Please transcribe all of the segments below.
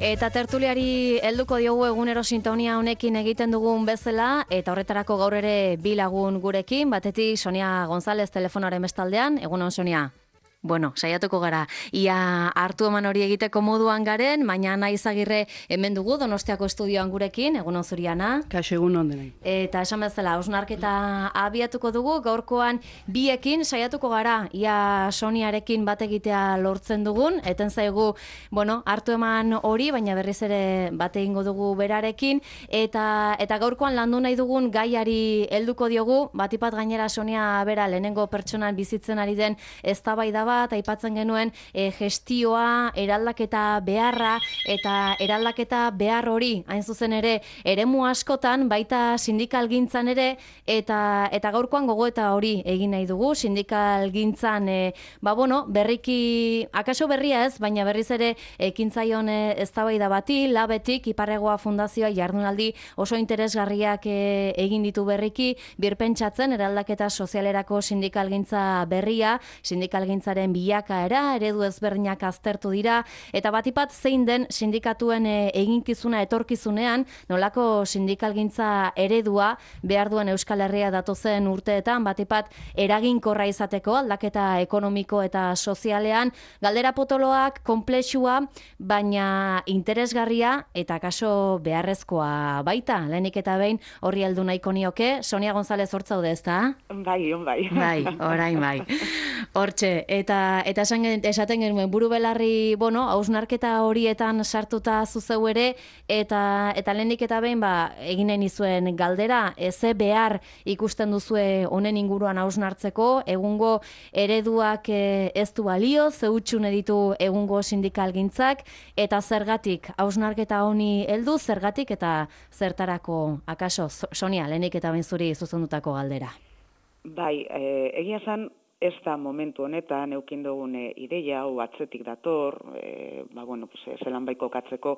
Eta tertuliari helduko diogu egunero sintonia honekin egiten dugun bezala, eta horretarako gaur ere bi lagun gurekin, batetik Sonia González telefonaren bestaldean. Egunon, Sonia. Bueno, saiatuko gara. Ia hartu eman hori egiteko moduan garen, baina Ana Izagirre hemen dugu Donostiako estudioan gurekin. Egunon zuri, Ana. Kaixo, egunon denei. Eta esan bezala, hausnarketa abiatuko dugu, gaurkoan biekin saiatuko gara, ia Soniarekin bat egitea lortzen dugun, eten zaigu, hartu eman hori, baina berriz ere bat egingo dugu berarekin, eta gaurkoan landu nahi dugun gaiari helduko diogu, batipat gainera Sonia bera lehenengo pertsonan bizitzen ari den eztabaida bat, aipatzen genuen gestioa, eraldaketa beharra, eta eraldaketa behar hori, hain zuzen ere, eremu askotan, baita sindikalgintzan ere, eta gaurkoan gogoeta hori egin nahi dugu, sindikalgintzan, berriki, akaso berria ez, baina berriz ere ekintzaion eztabaida bati, labetik, Iparregoa Fundazioa jardunaldi oso interesgarriak egin ditu berriki, birpentsatzen eraldaketa sozialerako sindikalgintza berria, sindikalgintzaren bilakaera, eredu ezberdinak aztertu dira, eta batipat zein den sindikatuen eginkizuna etorkizunean, nolako sindikalgintza eredua behar duen Euskal Herria datozen urteetan, batipat eraginkorra izateko aldaketa ekonomiko eta sozialean, galdera potoloak, konplexua, baina interesgarria eta kaso beharrezkoa baita. Lehenik eta behin horri heldu nahiko nioke. Sonia González hortzaude, ezta? Bai. Bai, orain bai. Hortxe, eta esaten genuen buru belarri, hausnarketa horietan sartuta zuzeu ere, eta lehenik eta behin egin nahi nizuen galdera, ze behar ikusten duzue honen inguruan hausnartzeko, egungo ereduak ez du balio, ze hutsun ditu egungo sindikalgintzak, eta zergatik hausnarketa honi heldu, zergatik eta zertarako, akaso, Sonia, lehenik eta behin zuri zuzendutako galdera. Bai, egia esan, ez da momentu honetan eukin dugun ideia, hau atzetik dator, zelan baiko katzeko,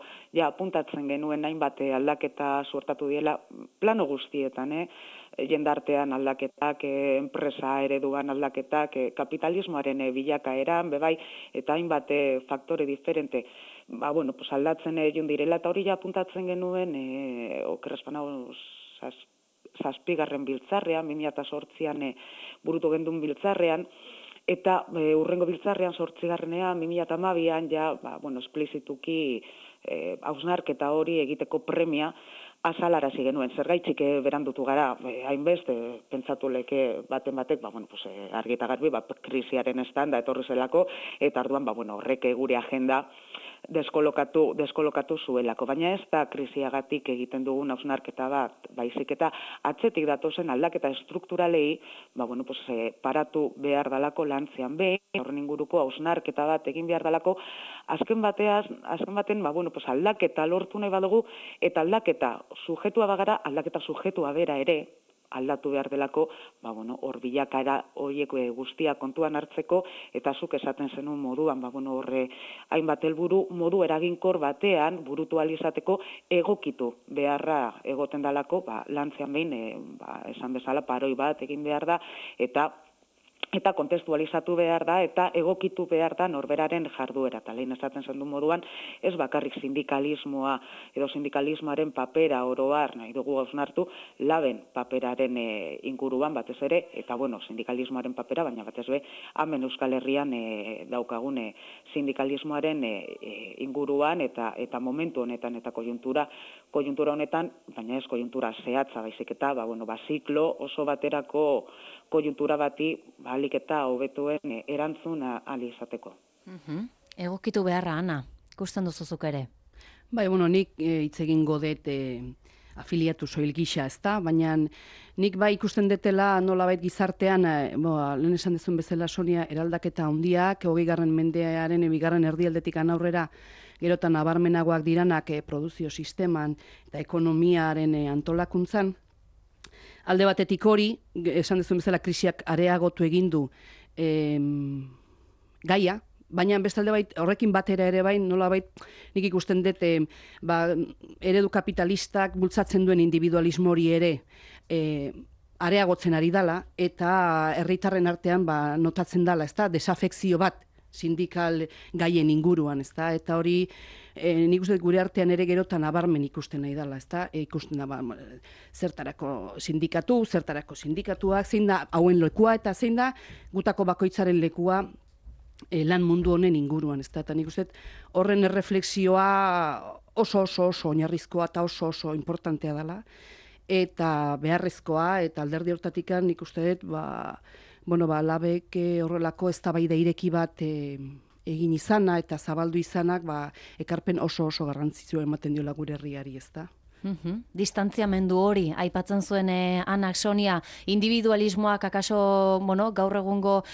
apuntatzen genuen hainbat aldaketa suertatu diela plano guztietan, jendartean aldaketak, enpresa ereduan aldaketak, kapitalismoaren bilakaeran, bebai, eta hainbat faktore diferente, aldatzen jun direla, eta hori apuntatzen genuen, okerrezpana zazpigarren biltzarrean, 2008an burutu gendun biltzarrean, eta urrengo biltzarrean 8garrenean, 2012an, esplizituki hausnarketa hori egiteko premia azalarazi genuen. Zergaitzik berandutu gara, hainbeste, pentsatu leke baten batek, argi eta garbi, krisiaren estanda etorri zelako, eta arduan, horrek gure agenda deskolokatu zuelako. Baina ez da krisiagatik egiten dugun hausnarketa bat, baizik eta atzetik datozen aldaketa estrukturalei, paratu behar dalako lantzean behin, horren inguruko hausnarketa bat egin behar dalako, azken baten, aldaketa lortu nahi badugu, eta aldaketa sujetua bagara, aldaketa sujetua bera ere, aldatu behar delako, hor bilakaera horiek guztia kontuan hartzeko, eta zuk esaten zenun moduan, horre hainbat helburu modu eraginkor batean burutu ahal izateko egokitu beharra egoten dalako, lantzean behin, esan bezala paroi bat egin behar da, eta kontestualizatu behar da, eta egokitu behar da norberaren jarduera. Eta lehen esaten zen du moduan, ez bakarrik sindikalismoa edo sindikalismoaren papera oroar nahi dugu hausnartu, laben paperaren inguruan batez ere, eta sindikalismoaren papera, baina batez be, hemen Euskal Herrian daukagun sindikalismoaren inguruan, eta momentu honetan, eta kojuntura honetan, baina ez kojuntura zehatza, baizik eta, ziklo oso baterako kojuntura bati ahalik eta hobetuen erantzun ahal izateko. Egokitu beharra, Ana, ikusten duzuzuk ere. Bai, nik hitz egingo dut afiliatu soil gisa, ezta? Baina nik ikusten detela nolabait gizartean, lehen esan dezun bezala Sonia, eraldaketa handiak, 20. mendearen 2. erdialdetik aurrera, gerotan nabarmenagoak diranak produzio sisteman eta ekonomiaren antolakuntzan. Alde batetik hori, esan dezuen bezala krisiak areagotu egin du gaia, baina bestalde horrekin batera ere nolabait nik ikusten dut eredu kapitalistak bultzatzen duen individualismo hori ere areagotzen ari dala, eta herritarren artean notatzen dala, ezta, desafekzio bat sindikal gaien inguruan, ezta? Eta hori nik uste gure artean ere gerotan nabarmen ikusten nahi dela, ezta? Ikusten da zertarako sindikatuak, zein da hauen lekua eta zein da gutako bakoitzaren lekua lan mundu honen inguruan, ezta? Eta nik uste horren erreflexioa oso oinarrizkoa eta oso importantea dela eta beharrezkoa eta alderdi hortatikan nik uste dut labek horrelako eztabaida ireki bat egin izana eta zabaldu izanak ekarpen oso garrantzitsua ematen diola gure herriari, ezta? Distantziamendu hori, aipatzen zuen Anak Sonia, individualismoak akaso, gaur egungo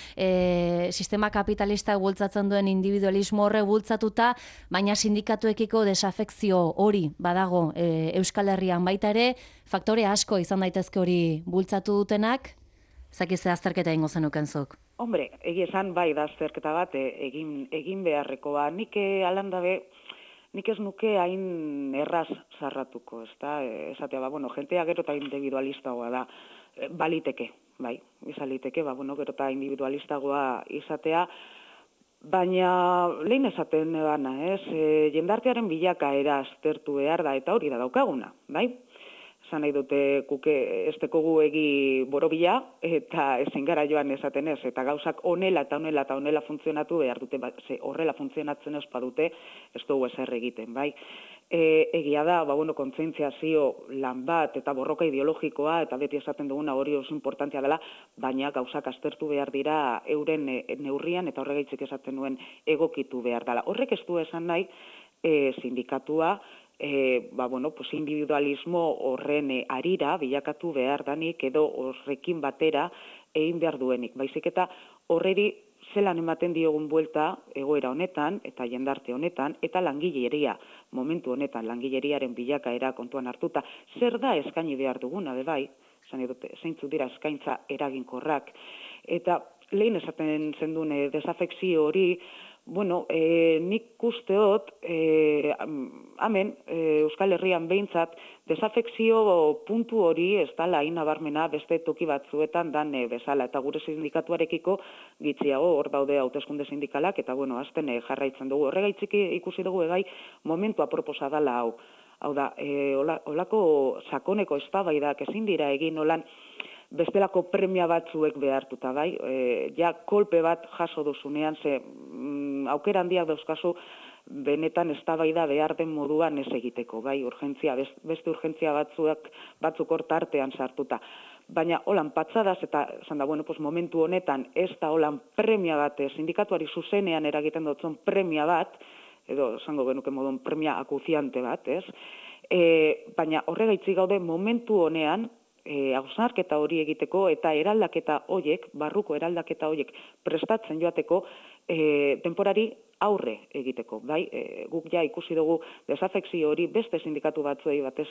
sistema kapitalista bultzatzen duen individualismo horre bultzatuta, baina sindikatuekiko desafekzio hori badago Euskal Herrian baita ere, faktore asko izan daitezke hori bultzatu dutenak, zakize azterketa ingo zenuken zuk. Hombre, egia esan bai da azterketa bat egin beharrekoa. Nik alandabe, nik ez nuke hain erraz zarratuko, ezta? Esatea, jentea gero eta individualistagoa da, baliteke, bai, izaliteke, gero eta individualistagoa izatea, baina lehen esaten gana, jendartearen bilakaera aztertu behar da, eta hori da daukaguna, bai? Zan nahi dute kuke ez dekogu egi borobila, eta ezin gara joan esaten ez, eta gauzak honela funtzionatu behar dute, horrela funtzionatzen ez badute, ez dugu ezer egiten, bai? Egia da, kontzientziazio lan bat eta borroka ideologikoa, eta beti esaten duguna hori oso importantea dela, baina gauzak aztertu behar dira euren neurrian, eta horregaitzik esaten nuen egokitu behar dela. Horrek ez du esan nahi, sindikatua, individualismo horren arira bilakatu behar danik edo horrekin batera egin behar duenik. Baizik eta horreri zelan ematen diogun buelta egoera honetan eta jendarte honetan eta langileria, momentu honetan langileriaren bilakaera kontuan hartuta, zer da eskaini behar duguna, bai, zeintzuk dira eskaintza eraginkorrak. Eta lehen esaten zendun desafekzio hori, nik usteot, Euskal Herrian behintzat, desafekzio puntu hori ez dala inabarmena beste toki batzuetan dan bezala. Eta gure sindikatuarekiko gitziago hor daude hauteskunde sindikalak, eta azten jarraitzen dugu. Horregaitzik ikusi dugu egai momentu aproposa dala hau. Hau da, olako sakoneko eztabaidak ezin dira egin olan bestelako premia batzuek behartuta, bai? Kolpe bat jaso duzunean, aukera handiak dauzkazu benetan eztabaida behar den moduan ez egiteko, bai? Beste urgentzia batzuk hor tartean sartuta. Baina holan patxadaz eta momentu honetan ez da holan premia bat, sindikatuari zuzenean eragiten dutzen premia bat, edo esango genuke modun premia akuziante bat, ez? Baina horregaitzik gaude momentu honean, hausnarketa hori egiteko eta eraldaketa horiek, barruko eraldaketa horiek prestatzen joateko denporari aurre egiteko, bai? Guk ja ikusi dugu desafekzio hori beste sindikatu batzuei batez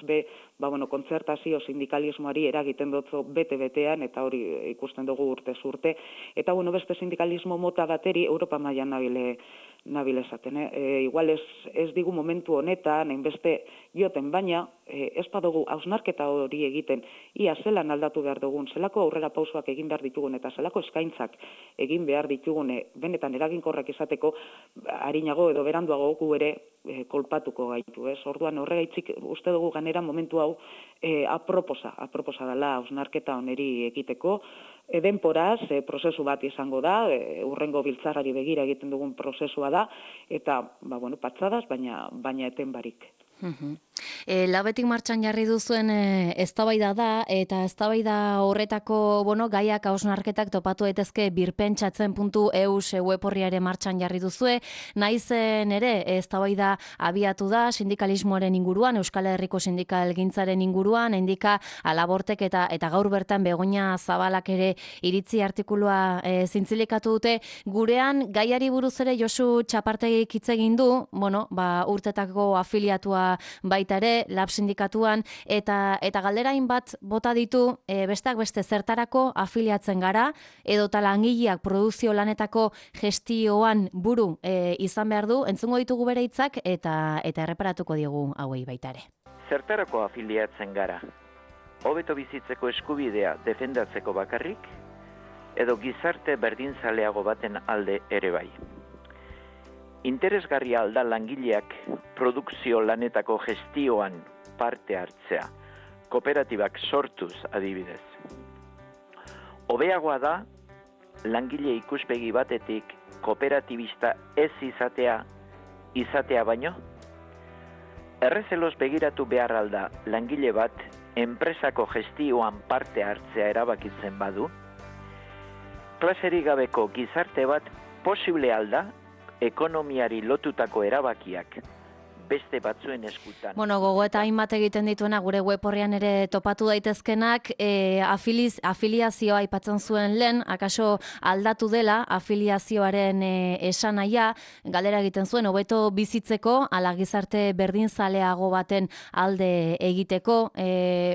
kontzertazio sindikalismoari eragiten dutzo bete-betean, eta hori ikusten dugu urtez urte, eta beste sindikalismo mota bateri Europa mailan nabil esaten. Igual ez digu momentu honetan, enbeste joten, baina ez badugu hausnarketa hori egiten, ia zelan aldatu behar dugun, zelako aurrera pausoak egin behar ditugun, eta zelako eskaintzak egin behar ditugun, benetan eraginkorrak izateko, harinago edo beranduago gu ere kolpatuko gaitu, ez? Orduan horregaitzik uste dugu ganera momentu hau aproposa dela hausnarketa honeri egiteko, denporaz, prozesu bat izango da, urrengo biltzarrari begira egiten dugun prozesua da, eta, patxadaz, baina eten barik. Labetik martxan jarri duzuen eztabaida da, eta eztabaida horretako gaiak hausnarketak topatu daitezke birpentsatzen.eus web orriare martxan jarri duzue, naizen ere eztabaida abiatu da sindikalismoaren inguruan, Euskal Herriko sindikalgintzaren inguruan, indika Alabortek eta gaur bertan Begoña Zabalak ere iritzi artikulua zintzilikatu dute. Gurean gaiari buruz ere Josu Txapartegik hitz egin du, urtetako afiliatua baita ere, lab sindikatuan, eta galderain bat bota ditu, besteak beste zertarako afiliatzen gara, edota langileak produkzio lanetako gestioan buru izan behar du, entzungo ditugu bere hitzak eta erreparatuko diegu hauei baita ere. Zertarako afiliatzen gara? Hobeto bizitzeko eskubidea defendatzeko bakarrik, edo gizarte berdinzaleago baten alde ere bai? interesgarria alda langileak produkzio lanetako gestioan parte hartzea, kooperatibak sortuz adibidez. Hobeagoa da, langile ikuspegi batetik kooperatibista ez izatea baino? Errezeloz begiratu behar alda langile bat enpresako gestioan parte hartzea erabakitzen badu? Klaserik gabeko gizarte bat posible alda ekonomiari lotutako erabakiak beste batzuen eskutan. Bueno, gogo eta hainbat egiten dituena gure web horrean ere topatu daitezkenak, afiliazioa aipatzen zuen lehen, akaso aldatu dela afiliazioaren esanahia, galdera egiten zuen, hobeto bizitzeko, ala gizarte berdinzaleago baten alde egiteko,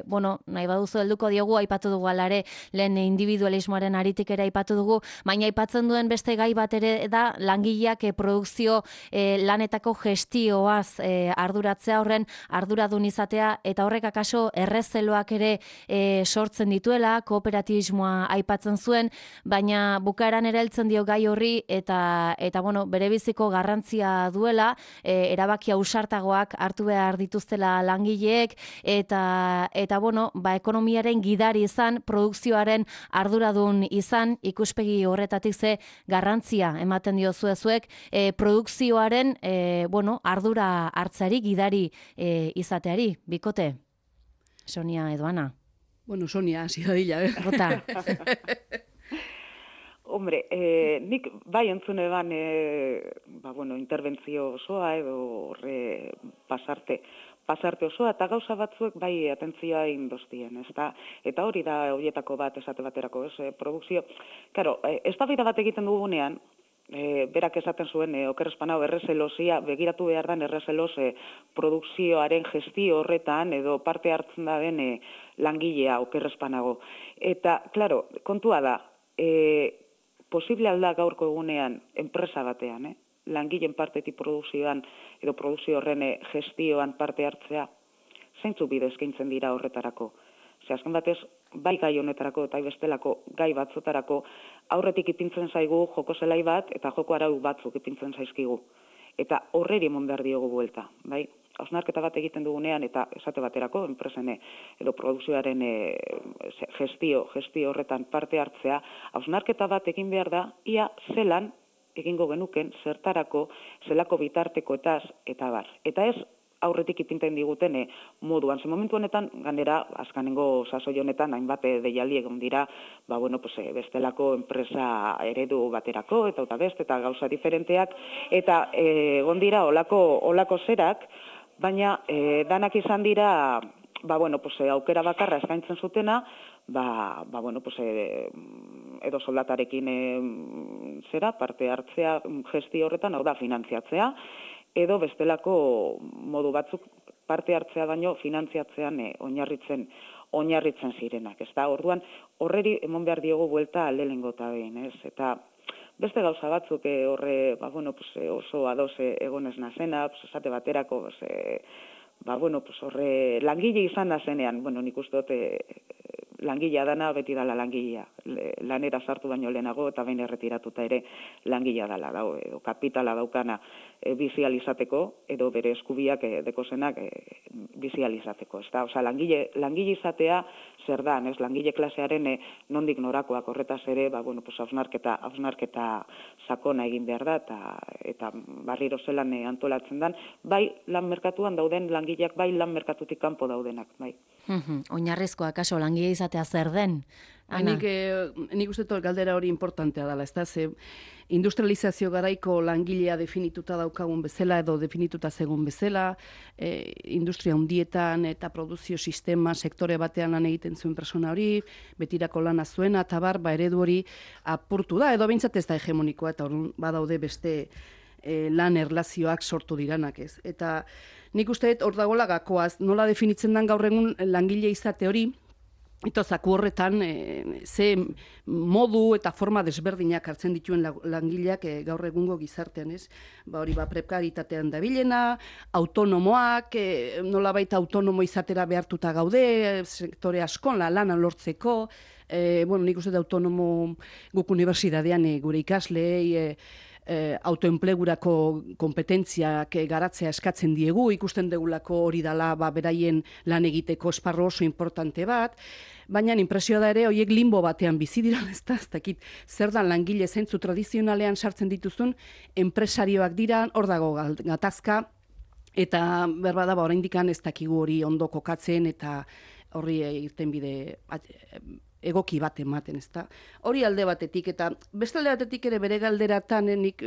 bueno, nahi baduzu helduko diogu, aipatu dugu alare, lehen individualismoaren aritik ere aipatu dugu, baina aipatzen duen beste gai bat ere da, langileak produkzio lanetako gestioaz arduratzea, horren arduradun izatea, eta horrek akaso errezeloak ere sortzen dituela, kooperatibismoa aipatzen zuen, baina bukaeran ere heltzen dio gai horri, eta bueno, berebiziko garrantzia duela, erabaki ausartagoak hartu behar dituztela langileek, eta bueno, ekonomiaren gidari izan, produkzioaren arduradun izan, ikuspegi horretatik ze garrantzia ematen diozuezuek, produkzioaren bueno, ardura hartzari, gidari izateari, bikote? Sonia edo Ana? Bueno, Sonia, hasi dadila, Bota. Hombre, nik bai entzun eban, bueno, interbentzio osoa edo horre pasarte osoa, eta gauza batzuek bai atentzioa indostien, ezta? Eta hori da horietako bat esate baterako, ez? Produkzio, claro, eztabaida bat egiten dugunean, berak esaten zuen, oker espanao errezelosia, begiratu behar dan errezelos produkzioaren gestio horretan, edo parte hartzen da den langilea oker espanago. Eta, claro, kontua da, posible alda gaurko egunean enpresa batean, langileen partetik produkzioan, edo produkzio horren gestioan parte hartzea, zeintzu bide eskaintzen dira horretarako. Ze azken batez, bai gai honetarako eta bestelako gai batzutarako aurretik ipintzen zaigu joko zelai bat eta joko arau batzuk ipintzen zaizkigu. Eta horreri emon behar diogu buelta, bai? Hausnarketa bat egiten dugunean eta esate baterako enpresen edo produkzioaren gestio horretan parte hartzea, hausnarketa bat egin behar da, ia zelan egingo genuken zertarako, zelako bitartekoetaz eta bar. Eta ez aurretik ipinten diguten moduan. Ze momentu honetan, ganera, azkanengo sasoi honetan, hainbat deialdi egon dira, bueno, bestelako enpresa eredu baterako, eta beste, eta gauza diferenteak, eta egon dira olako zerak, baina danak izan dira, bueno, aukera bakarra eskaintzen zutena, bueno, edo soldatarekin zera, parte hartzea gestio horretan, hau da, finantziatzea, edo bestelako modu batzuk parte hartzea baino finantziatzean oinarritzen zirenak, ezta? Orduan horreri emon behar diogu buelta lehenengo eta behin, ez? Eta beste gauza batzuk horre, bueno, oso ados egonez nazena, esate baterako, bueno, horre langile izan nazenean, bueno, nik uste dut langilea dana beti dala langilea. Lanera sartu baino lehenago eta behin erretiratuta ere langilea dala, edo kapitala daukana bizializateko, edo bere eskubiak dekozenak bizializateko. Osa, langile izatea zer da, ez? Langile klasearen nondik norakoak horretaz ere, bueno, hausnarketa sakona egin behar da, eta barriro zelan antolatzen dan, bai lan merkatuan dauden langileak, bai lan merkatutik kanpo daudenak, bai. Oinarrizkoa, akaso, langile izatea zer den? Ana? Nik uste dut galdera hori importantea dela, ez da, ze industrializazio garaiko langilea definituta daukagun bezala edo definituta zegoen bezala, industria hundietan eta produzio sistema sektore batean lan egiten zuen persona hori, betirako lana zuena, eta eredu hori apurtu da, edo behintzat ez da hegemonikoa, eta badaude beste lan erlazioak sortu diranak, ez. Eta nik uste dut hor dagoela gakoaz, nola definitzen den gaur egun langile izate hori, eta zaku horretan ze modu eta forma desberdinak hartzen dituen langileak gaur egungo gizartean, ez? Hori prekaritatean dabilena, autonomoak, nolabait autonomo izatera behartuta gaude, sektore askon lana lortzeko, bueno, nik uste dut autonomo guk unibertsitatean gure ikaslei, autoenplegurako kompetentziak garatzea eskatzen diegu, ikusten degulako hori dala beraien lan egiteko esparru oso importante bat, baina inpresioa da ere, horiek limbo batean bizi dira, ez dakit, zer da langile zentzu tradizionalean sartzen dituzun, enpresarioak dira, hor dago gatazka, eta berbada oraindik ez dakigu hori ondo kokatzen, eta horri irtenbide egoki bat ematen, ezta? Hori alde batetik, eta beste alde batetik ere bere galderatan nik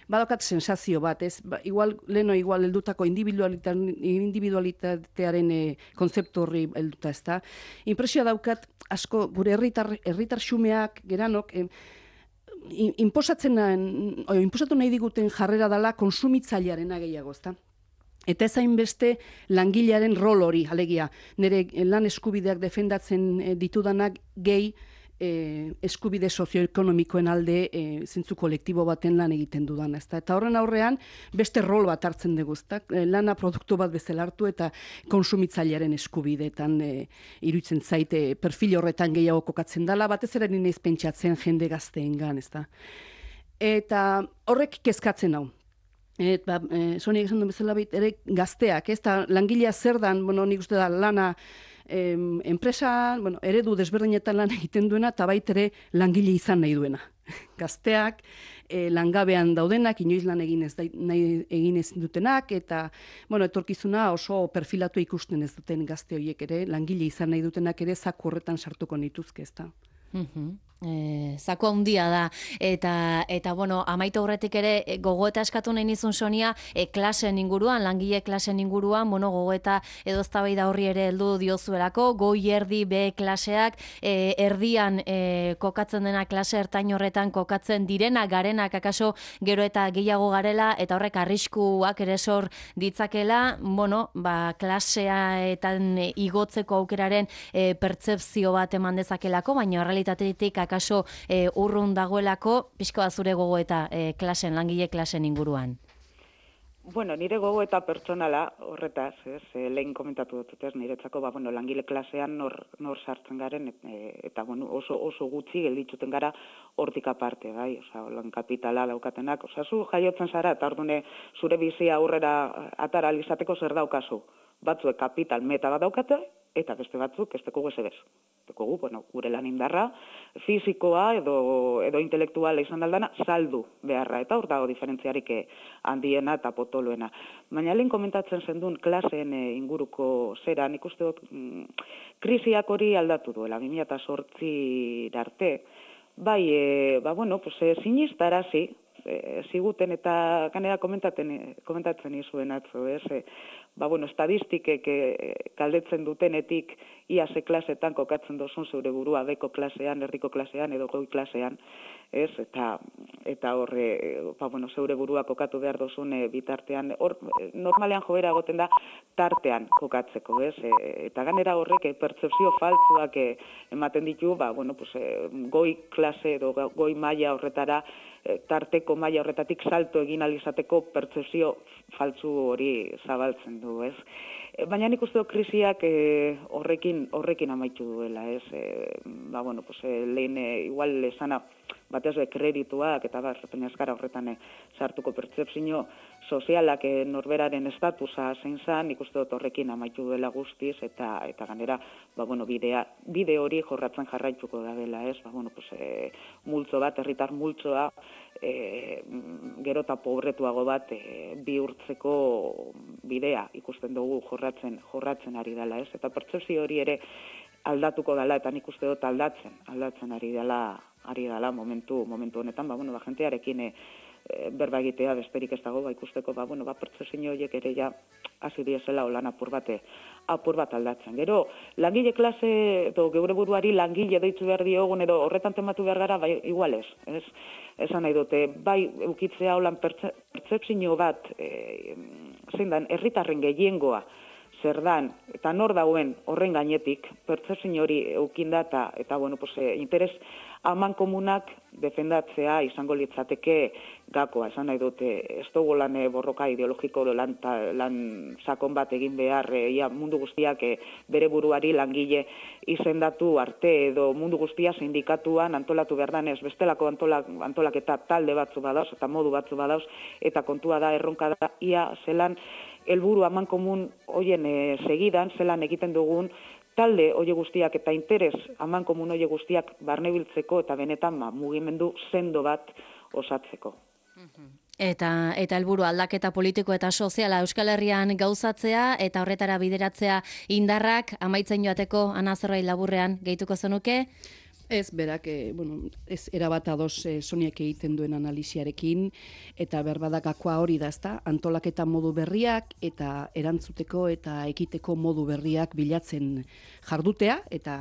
badokat sensazio bat, ez? Igual heldutako individualitatearen kontzeptu horri helduta, ezta? Inpresioa daukat, asko, gure herritar xumeak, geranok, inposatu nahi diguten jarrera dela konsumitzailearena gehiago, ezta? Eta ez hainbeste langilearen rol hori, alegia, nire lan eskubideak defendatzen ditudanak gehi eskubide sozioekonomikoen alde zentzu kolektibo baten lan egiten dudan. Eta horren aurrean beste rol bat hartzen dugu, lana produktu bat bezala hartu eta konsumitzailearen eskubideetan iruditzen zaite perfil horretan gehiago kokatzen dela, batez ere nire pentsatzen jende gazteengan, ezta. Eta horrek kezkatzen hau. Sonia esan duen bezala ere gazteak, ez da langilea zer dan, nik uste da lana enpresa, eredu desberdinetan lan egiten duena, eta baitere langile izan nahi duena. Gazteak, langabean daudenak, inoiz lan egin ez dutenak, eta etorkizuna oso perfilatu ikusten ez duten gazte horiek ere, langile izan nahi dutenak ere zaku horretan sartuko nituzke, ez da. Zako handia da eta amaitu aurretik ere gogoeta eskatu nahi nizun Sonia klasen inguruan, langile klasen inguruan, gogoeta edo eztabaida horri ere heldu diozuelako, goi erdi B klaseak, erdian kokatzen dena klase ertain horretan kokatzen direna garenak akaso gero eta gehiago garela eta horrek arriskuak ere sor ditzakela, klaseetan igotzeko aukeraren pertzepzio bat eman dezakelako, baina realitatetik akaso urrun dagoelako, pixkoa zure gogoeta langile klasen inguruan. Nire gogoeta pertsonala horretaz, lehen komentatu dut, niretzako langile klasean nor sartzen garen, eta oso gutxi gelditzuten gara hortik aparte, lan kapitala daukatenak, zu jaiotzen zara, eta ordune zure bizia aurrera atara alizateko zer daukazu. Batzuek kapital meta bat daukate, eta beste batzuk ez dekogu ezebez. Dekogu, gure lan indarra, fizikoa edo intelektuala izan daldana, saldu beharra, eta hor dago diferentziarik handiena eta potoloena. Baina lehen komentatzen zendun klaseen inguruko zera, nik uste dut krisiak hori aldatu duela, 2008 arte, sinistarazi, ziguten eta kanera komentatzen izuen atzo, estadistikek galdetzen dutenetik ia ze klasetan kokatzen dozun zeure burua beko klasean, erdiko klasean edo goi klasean, eta horre, zeure burua kokatu behar dozun bitartean, normalean joera egoten da tartean kokatzeko, eta ganera horrek pertzepzio faltzuak ematen ditu, goi klase edo goi maila horretara, tarteko maila horretatik salto egin alizateko pertzepzio faltzu hori zabaltzen du, ez? Baina nik uste dut krisiak horrekin amaitu duela, ez? Lehen igual esana batez kredituak eta penazkara horretan sartuko pertzepzio sozialak norberaren estatusa zein zan, nik uste dut horrekin amaitu duela guztiz eta ganera, bide hori jorratzen jarraituko da dela, ez? Multzo bat, herritar multzoa, gero eta pobretuago bat bihurtzeko bidea ikusten dugu jorratzen ari dela, ez? Eta pertzepzio hori ere aldatuko dela, eta nik uste dut aldatzen ari dela momentu honetan, jentearekin berba egitea besterik ez dago, ikusteko, pertzepzio horiek ere ja hasi diesela lan apur bat aldatzen. Gero, langile klase, edo geure buruari langile deitzu behar diogun, edo horretan tematu behar gara, igual ez. Esan nahi dute, ukitzea holan pertzepzio bat, zein dan, herritarren gehiengoa zer dan, eta nor dauen horren gainetik, pertzepzio hori eukinda eta bueno, pues, interes amankomunak defendatzea izango litzateke gakoa, esan nahi dute, ez dugu lan borroka ideologiko lan sakon bat egin behar, mundu guztiak bere buruari langile izendatu arte edo mundu guztia sindikatuan antolatu behar danez, bestelako antolaketa talde batzu badauz eta modu batzu badauz, eta kontua da, erronka da, ia zelan helburu amankomun hoien segidan, zelan egiten dugun talde hoie guztiak eta interes amankomun hoie guztiak barnebiltzeko eta benetan mugimendu sendo bat osatzeko. Eta helburu aldaketa politiko eta soziala Euskal Herrian gauzatzea eta horretara bideratzea indarrak amaitzen joateko Ana Zerbait laburrean gehituko zenuke? Ez, berak, ez erabat ados Soniak egiten duen analisiarekin, eta berbadagakoa hori da, ezta, antolaketa modu berriak, eta erantzuteko eta ekiteko modu berriak bilatzen jardutea, eta,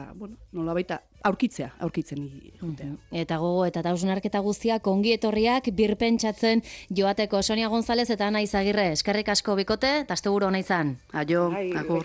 nolabait aurkitzen jutea. Eta gogo, eta hausnarketa guztiak ongi etorriak birpentsatzen joateko. Sonia González eta Ana Izagirre, eskerrik asko bikote, eta asteburu ona izan. Aio, agur.